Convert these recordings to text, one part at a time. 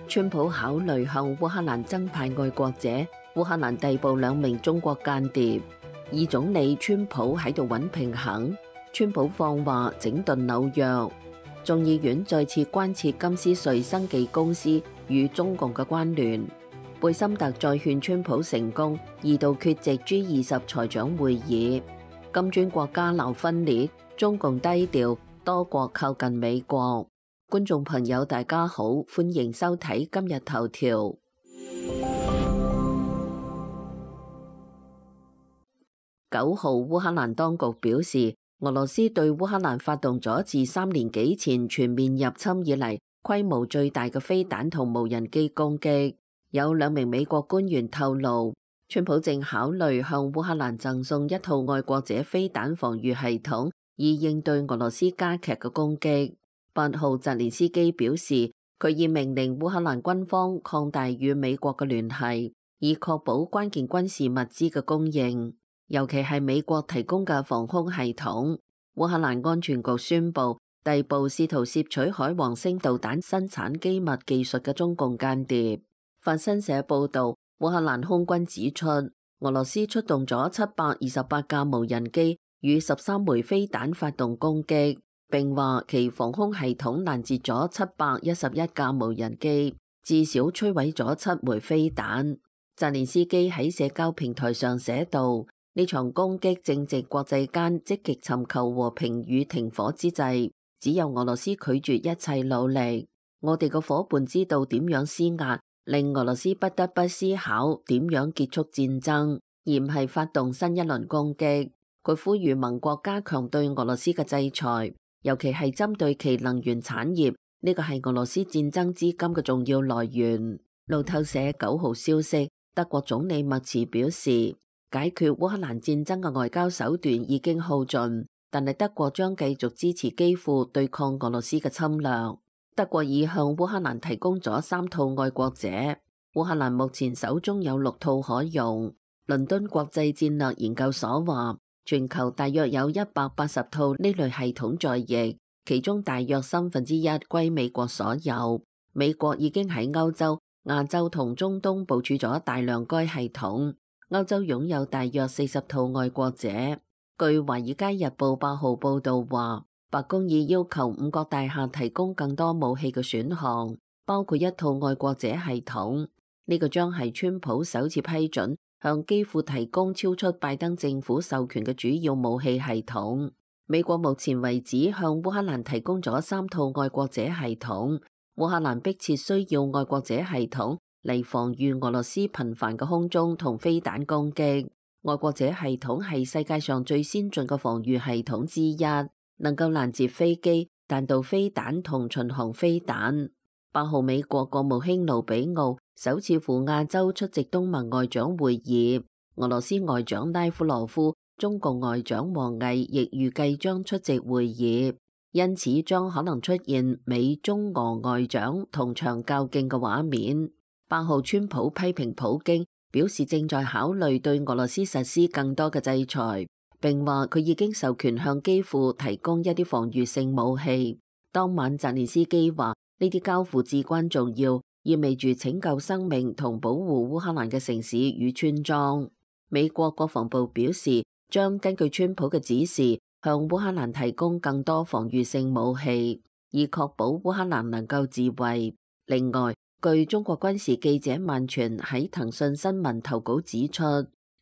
川普考慮向烏克蘭增派愛國者，烏克蘭逮捕2名中國間諜。二總理川普喺度揾平衡，川普放話整頓紐約。眾議院再次關切金斯瑞生技公司與中共嘅關聯。貝森特再勸川普成功2度缺席 G20 財長會議。金磚國家鬧分裂，中共低調，多國靠近美國。觀眾朋友大家好，歡迎收睇今日頭條。9號烏克蘭當局表示，俄羅斯對烏克蘭發動咗自3年幾前全面入侵以嚟規模最大嘅飛彈同無人機攻擊。有2名美國官員透露，川普正考慮向烏克蘭贈送1套愛國者飛彈防禦系統，以應對俄羅斯加劇嘅攻擊。8號澤連斯基表示，佢已命令烏克蘭軍方擴大與美國嘅聯繫，以確保關鍵軍事物資嘅供應，尤其係美國提供嘅防空系統。烏克蘭安全局宣布逮捕試圖竊取海王星導彈生產機密技術嘅中共間諜。法新社報道，烏克蘭空軍指出，俄羅斯出動咗728架無人機與13枚飛彈發動攻擊，並話其防空系統攔截咗711架無人機，至少摧毀咗7枚飛彈。澤連斯基喺社交平台上寫道，呢場攻擊正值國際間積極尋求和平與停火之際，只有俄羅斯拒絕一切努力。我哋嘅夥伴知道點樣施壓，令俄羅斯不得不思考點樣結束戰爭，而唔係發動新一輪攻擊。佢呼籲盟國加強對俄羅斯嘅制裁，尤其係針對其能源產業，呢個係俄羅斯戰爭資金嘅重要來源。路透社9號消息，德國總理默茨表示，解決烏克蘭戰爭嘅外交手段已經耗盡，但係德國將繼續支持基輔對抗俄羅斯嘅侵略。德國已向烏克蘭提供咗3套愛國者，烏克蘭目前手中有6套可用。倫敦國際戰略研究所話，全球大約有180套呢類系統在役，其中大約1/3歸美國所有。美國已經喺歐洲、亞洲同中東部署咗大量該系統。歐洲擁有大約40套愛國者。據《華爾街日報》8號報導話，白宮已要求5角大廈提供更多武器嘅選項，包括1套愛國者系統。呢個將係川普首次批准向基輔提供超出拜登政府授權嘅主要武器系統。美國目前為止向烏克蘭提供咗3套愛國者系統。烏克蘭迫切需要愛國者系統嚟防禦俄羅斯頻繁嘅空中同飛彈攻擊。愛國者系統係世界上最先進嘅防禦系統之一，能夠攔截飛機、彈道飛彈同巡航飛彈。8號美國國務卿盧比奧首次赴亞洲出席東盟外長會議，俄羅斯外長拉夫羅夫、中共外長王毅亦預計將出席會議，因此將可能出現美中俄外長同場較勁嘅畫面。8號川普批評普京，表示正在考慮對俄羅斯實施更多嘅制裁，並話佢已經授權向基輔提供一啲防禦性武器。當晚澤連斯基話呢啲交付至關重要，意味住拯救生命同保護烏克蘭嘅城市與村莊。美國國防部表示，將根據川普嘅指示向烏克蘭提供更多防禦性武器，以確保烏克蘭能夠自衛。另外，據中國軍事記者萬全喺騰訊新聞投稿指出，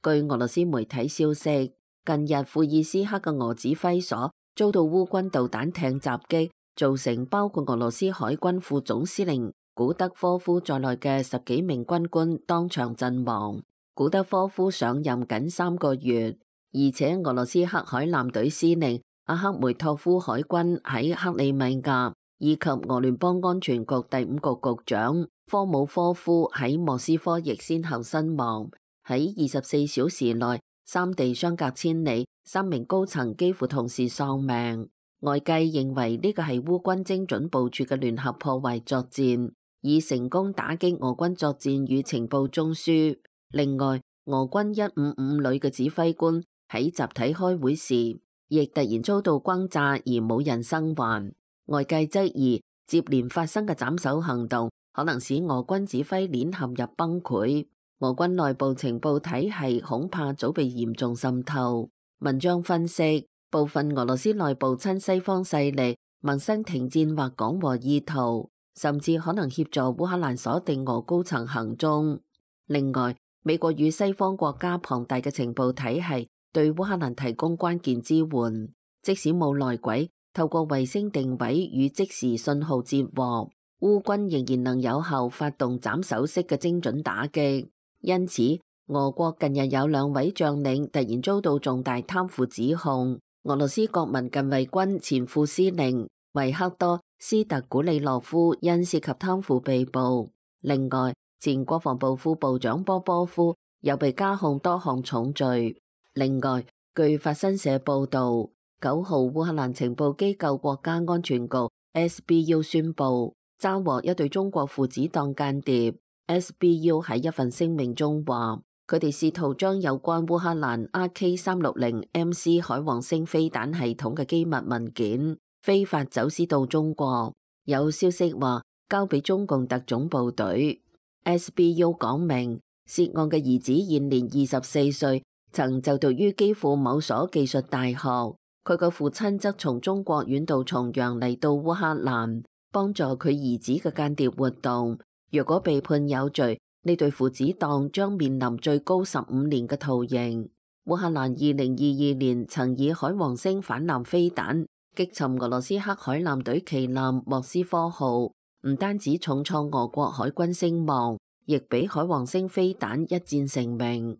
據俄羅斯媒體消息，近日庫爾斯克嘅俄指揮所遭到烏軍導彈艇襲擊，造成包括俄羅斯海軍副總司令古德科夫在內嘅10幾名軍官當場陣亡。古德科夫上任僅3個月，而且俄羅斯黑海艦隊司令阿克梅托夫海軍喺克里米亞，以及俄聯邦安全局第5局局長科姆科夫喺莫斯科亦先後身亡。喺24小時內，三地相隔千里，3名高層幾乎同時喪命。外界認為呢個係烏軍精準部署嘅聯合破壞作戰，以成功打擊俄軍作戰與情報中樞。另外，俄軍155旅嘅指揮官喺集體開會時，亦突然遭到轟炸而冇人生還。外界質疑接連發生嘅斬首行動可能使俄軍指揮鏈陷入崩潰。俄軍內部情報體系恐怕早被嚴重滲透。文章分析，部分俄羅斯內部親西方勢力萌生停戰或講和意圖，甚至可能協助烏克蘭鎖定俄高層行蹤。另外，美國與西方國家龐大嘅情報體系對烏克蘭提供關鍵支援，即使冇內鬼，透過衛星定位與即時信號接獲，烏軍仍然能有效發動斬首式嘅精準打擊。因此，俄國近日有2位將領突然遭到重大貪腐指控。俄羅斯國民近衛軍前副司令維克多·斯特古里諾夫因涉及貪腐被捕。另外，前國防部副部長波波夫又被加控多項重罪。另外，據法新社報導，9號烏克蘭情報機構國家安全局 SBU 宣布抓獲一對中國父子黨間諜。SBU 喺一份聲明中話，佢哋試圖將有關烏克蘭 RK360MC 海王星飛彈系統嘅機密文件非法走私到中國。有消息話交俾中共特種部隊。SBU 講明，涉案嘅兒子現年24歲，曾就讀於基輔某所技術大學。佢個父親則從中國遠渡重洋嚟到烏克蘭，幫助佢兒子嘅間諜活動。若果被判有罪，呢對父子檔將面臨最高15年嘅徒刑。烏克蘭2022年曾以海王星反艦飛彈擊沉俄羅斯黑海艦隊旗艦莫斯科號，唔單止重創俄國海軍聲望，亦俾海王星飛彈一戰成名。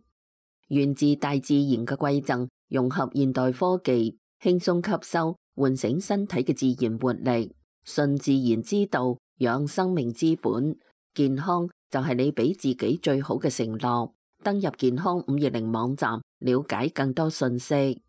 源自大自然嘅饋贈，融合現代科技，輕鬆吸收，喚醒身體嘅自然活力，順自然之道，養生命之本。健康就係你俾自己最好嘅承諾。登入健康520網站，了解更多信息。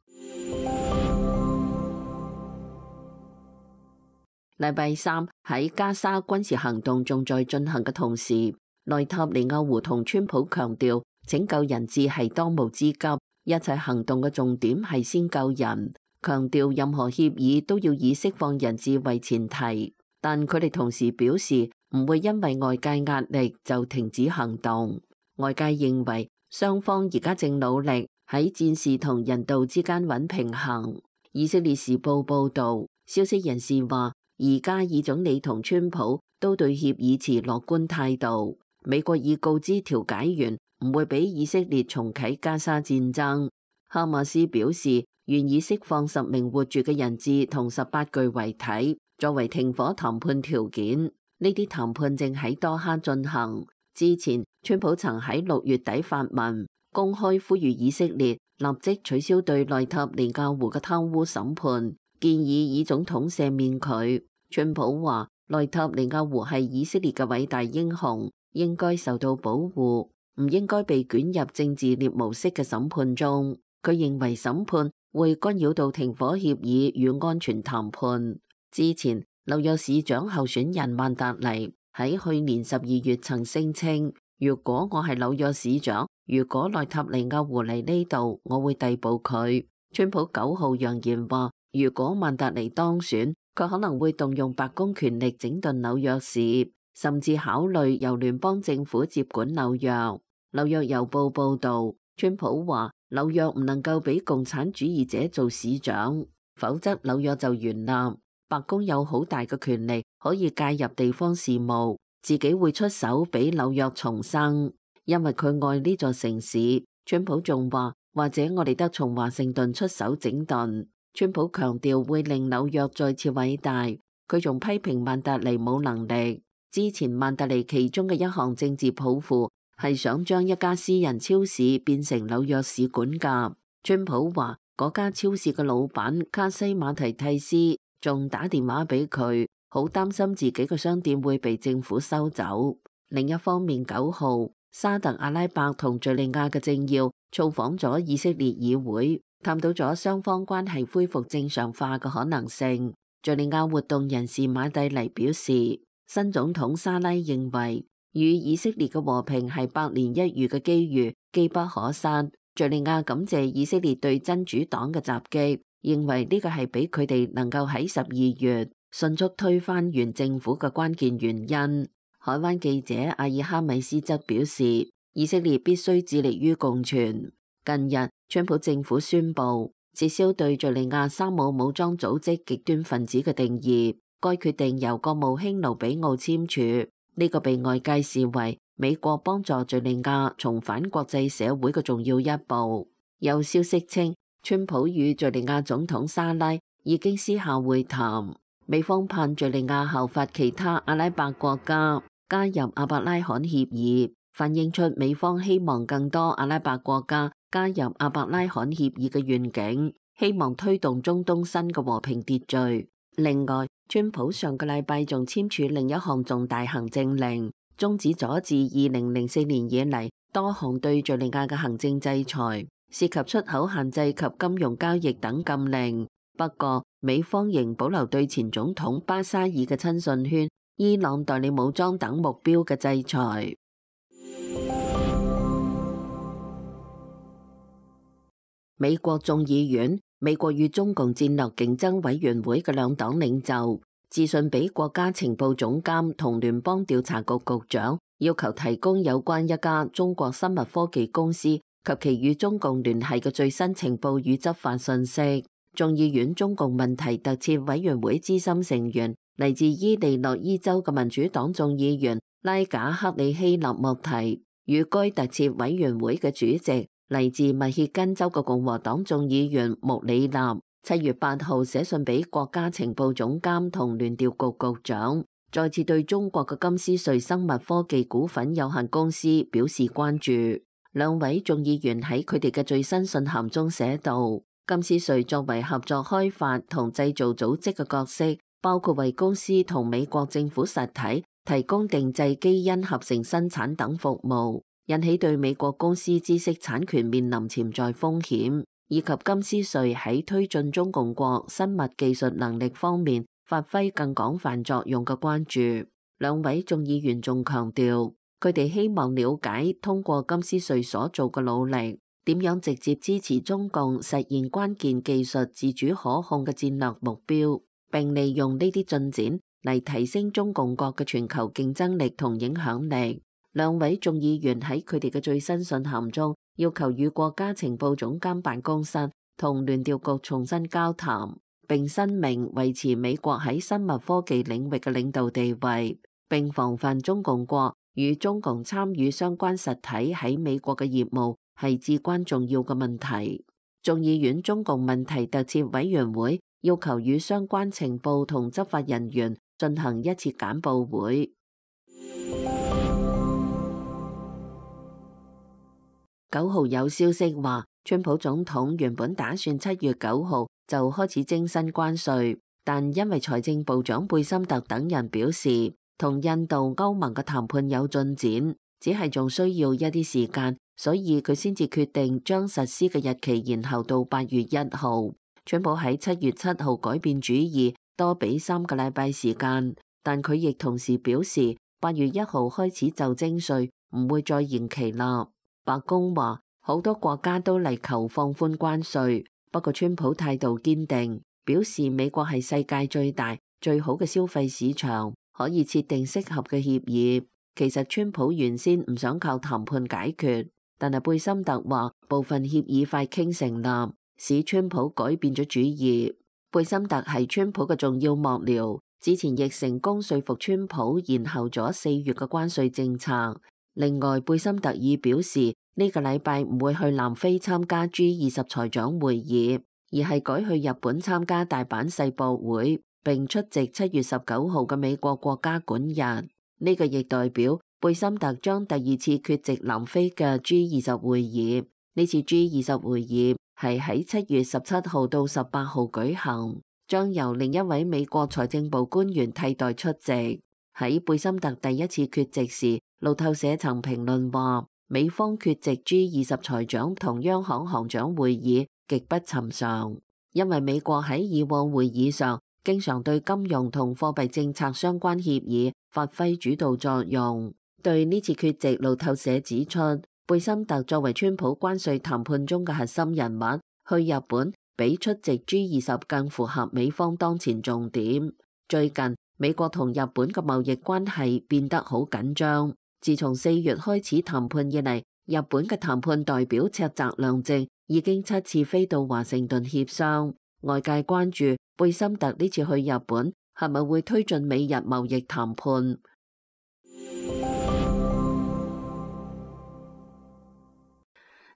禮拜三喺加沙軍事行動仲在進行嘅同時，內塔尼亞胡同川普強調拯救人質係當務之急，一切行動嘅重點係先救人，強調任何協議都要以釋放人質為前提。但佢哋同時表示唔會因為外界壓力就停止行動。外界認為雙方而家正努力喺戰事同人道之間揾平衡。以色列時報報導，消息人士話，而家以總理同川普都對協議持樂觀態度。美國已告知調解員唔會俾以色列重啟加沙戰爭。哈馬斯表示願意釋放10名活住嘅人質同18具遺體作為停火談判條件，呢啲談判正喺多哈進行。之前，川普曾喺6月底發文，公開呼籲以色列立即取消對內塔尼亞胡嘅貪污審判，建議以總統赦免佢。川普話，內塔尼亞胡係以色列嘅偉大英雄，應該受到保護，唔應該被捲入政治獵巫式嘅審判中。佢認為審判會干擾到停火協議與安全談判。之前，紐約市長候選人曼達尼喺去年12月曾聲稱，如果我係紐約市長，如果內塔尼亞胡嚟呢度，我會逮捕佢。川普9號揚言話，如果曼達尼當選，佢可能會動用白宮權力整頓紐約市，甚至考慮由聯邦政府接管紐約。紐約郵報報導，川普話紐約唔能夠俾共產主義者做市長，否則紐約就完立。白宮有好大嘅權力可以介入地方事務，自己會出手俾紐約重生，因為佢愛呢座城市。川普仲話，或者我哋得從華盛頓出手整頓。川普強調會令紐約再次偉大。佢仲批評曼達尼冇能力。之前曼達尼其中嘅一項政治抱負係想將一家私人超市變成紐約市管轄。川普話嗰家超市嘅老闆卡西馬提蒂斯仲打電話俾佢，好擔心自己嘅商店會被政府收走。另一方面，9號沙特阿拉伯同敘利亞嘅政要造訪咗以色列議會，探討咗雙方關係恢復正常化嘅可能性。敘利亞活動人士馬蒂尼表示，新總統沙拉認為與以色列嘅和平係百年一遇嘅機遇，機不可失。敘利亞感謝以色列對真主黨嘅襲擊，認為呢個係俾佢哋能夠喺12月迅速推翻原政府嘅關鍵原因。海灣記者阿爾哈米斯則表示，以色列必須致力於共存。近日，川普政府宣布撤銷對敘利亞沙姆武裝組織極端分子嘅定義，該決定由國務卿盧比奧簽署。呢個被外界視為美國幫助敘利亞重返國際社會嘅重要一步。有消息稱，川普與敘利亞總統沙拉已經私下會談，美方盼敘利亞效法其他阿拉伯國家加入阿伯拉罕協議，反映出美方希望更多阿拉伯國家加入阿伯拉罕協議嘅願景，希望推動中東新嘅和平秩序。另外，川普上個禮拜仲簽署另一項重大行政令，終止咗自2004年以嚟多項對敘利亞嘅行政制裁，涉及出口限制及金融交易等禁令。不過，美方仍保留對前總統巴沙爾嘅親信圈、伊朗代理武裝等目標嘅制裁。美國眾議院、美國與中共戰略競爭委員會嘅兩黨領袖致信俾國家情報總監同聯邦調查局局長，要求提供有關一家中國生物科技公司及其與中共聯繫嘅最新情報與執法信息。眾議院中共問題特設委員會資深成員、嚟自伊利諾伊州嘅民主黨眾議員拉賈克里希納莫提與該特設委員會嘅主席、嚟自密歇根州嘅共和黨眾議員穆里納7月8號寫信俾國家情報總監同聯調局局長，再次對中國嘅金斯瑞生物科技股份有限公司表示關注。兩位眾議員喺佢哋嘅最新信函中寫道，金斯瑞作為合作開發同製造組織嘅角色，包括為公司同美國政府實體提供定製基因合成生產等服務，引起對美國公司知識產權面臨潛在風險，以及金斯瑞喺推進中共國生物技術能力方面發揮更廣泛作用嘅關注。兩位眾議員仲強調，佢哋希望了解通過金斯瑞所做嘅努力，點樣直接支持中共實現關鍵技術自主可控嘅戰略目標，並利用呢啲進展嚟提升中共國嘅全球競爭力同影響力。兩位眾議員喺佢哋嘅最新信函中，要求與國家情報總監辦公室同聯調局重新交談，並申明維持美國喺生物科技領域嘅領導地位，並防範中共國與中共參與相關實體喺美國嘅業務係至關重要嘅問題。眾議院中共問題特設委員會要求與相關情報同執法人員進行一次簡報會。9號有消息話，川普總統原本打算7月9號就開始徵新關稅，但因為財政部長貝森特等人表示同印度、歐盟嘅談判有進展，只係仲需要一啲時間，所以佢先至決定將實施嘅日期延後到8月1號。川普喺7月7號改變主意，多俾3個禮拜時間，但佢亦同時表示8月1號開始就徵稅，唔會再延期啦。白宮話好多國家都嚟求放寬關稅，不過川普態度堅定，表示美國係世界最大、最好嘅消費市場，可以設定適合嘅協議。其實川普原先唔想靠談判解決，但係貝森特話部分協議快傾成啦，使川普改變咗主意。貝森特係川普嘅重要幕僚，之前亦成功說服川普延後咗4月嘅關稅政策。另外，貝森特已表示呢個禮拜唔會去南非參加 G20 財長會議，而係改去日本參加大阪世博會，並出席7月19號嘅美國國家館日。呢個亦代表貝森特將第2次缺席南非嘅 G20 會議。呢次 G20 會議係喺7月17號到18號舉行，將由另一位美國財政部官員替代出席。喺貝森特第1次缺席時，路透社曾評論話，美方缺席 G20 財長同央行行長會議極不尋常，因為美國喺以往會議上經常對金融同貨幣政策相關協議發揮主導作用。對呢次缺席，路透社指出，貝森特作為川普關稅談判中嘅核心人物，去日本比出席 G20 更符合美方當前重點。最近美國同日本嘅貿易關係變得好緊張。自從4月開始談判以嚟，日本嘅談判代表赤澤良直已經7次飛到華盛頓協商。外界關注貝森特呢次去日本係咪會推進美日貿易談判。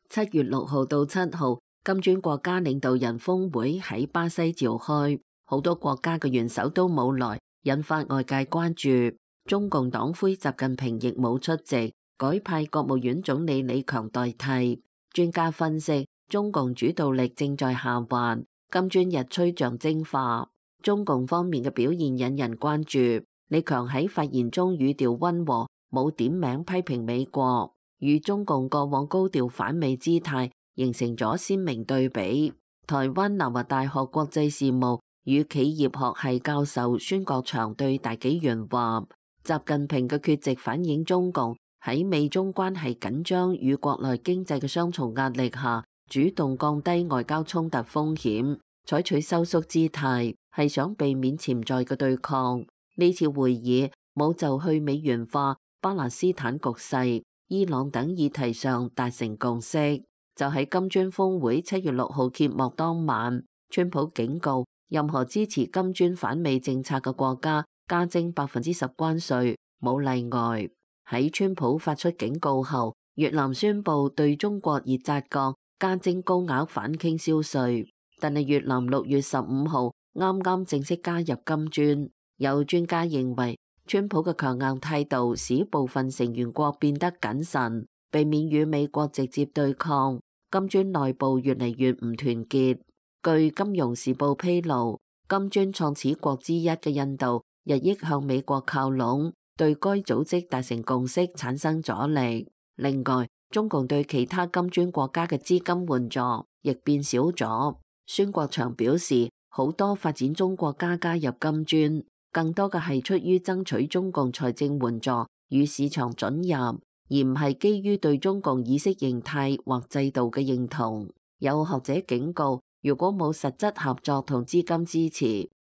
7月6號到7號，金磚國家領導人峰會喺巴西召開，好多國家嘅元首都冇來，引發外界關注。中共黨魁習近平亦冇出席，改派國務院總理李強代替。專家分析，中共主導力正在下滑，金磚日趨象徵化。中共方面嘅表現引人關注。李強喺發言中語調溫和，冇點名批評美國，與中共過往高調反美姿態形成咗鮮明對比。台灣南華大學國際事務與企業學系教授孫國祥對大紀元話：習近平嘅缺席反映中共喺美中關係緊張與國內經濟嘅雙重壓力下，主動降低外交衝突風險，採取收縮姿態，係想避免潛在嘅對抗。呢次會議冇就去美元化、巴勒斯坦局勢、伊朗等議題上達成共識。就喺金磚峰會7月6號揭幕當晚，川普警告任何支持金磚反美政策嘅國家加徵10%關稅，冇例外。喺川普發出警告後，越南宣布對中國熱軋鋼加徵高額反傾銷稅，但係越南6月15號啱啱正式加入金磚。有專家認為，川普嘅強硬態度使部分成員國變得謹慎，避免與美國直接對抗。金磚內部越嚟越唔團結。據《金融時報》披露，金磚創始國之一嘅印度日益向美國靠攏，對該組織達成共識產生阻力。另外，中共對其他金磚國家嘅資金援助亦變少咗。孫國祥表示，好多發展中國家加入金磚，更多嘅係出於爭取中共財政援助與市場准入，而唔係基於對中共意識形態或制度嘅認同。有學者警告，如果冇實質合作同資金支持，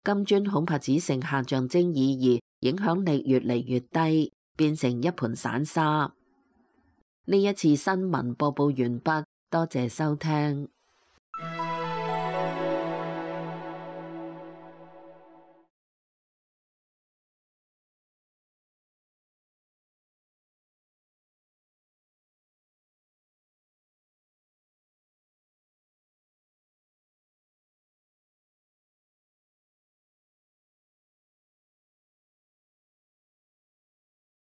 金磚恐怕只剩下象徵意義，影響力越嚟越低，變成一盤散沙。呢一次新聞播報完畢，多謝收聽。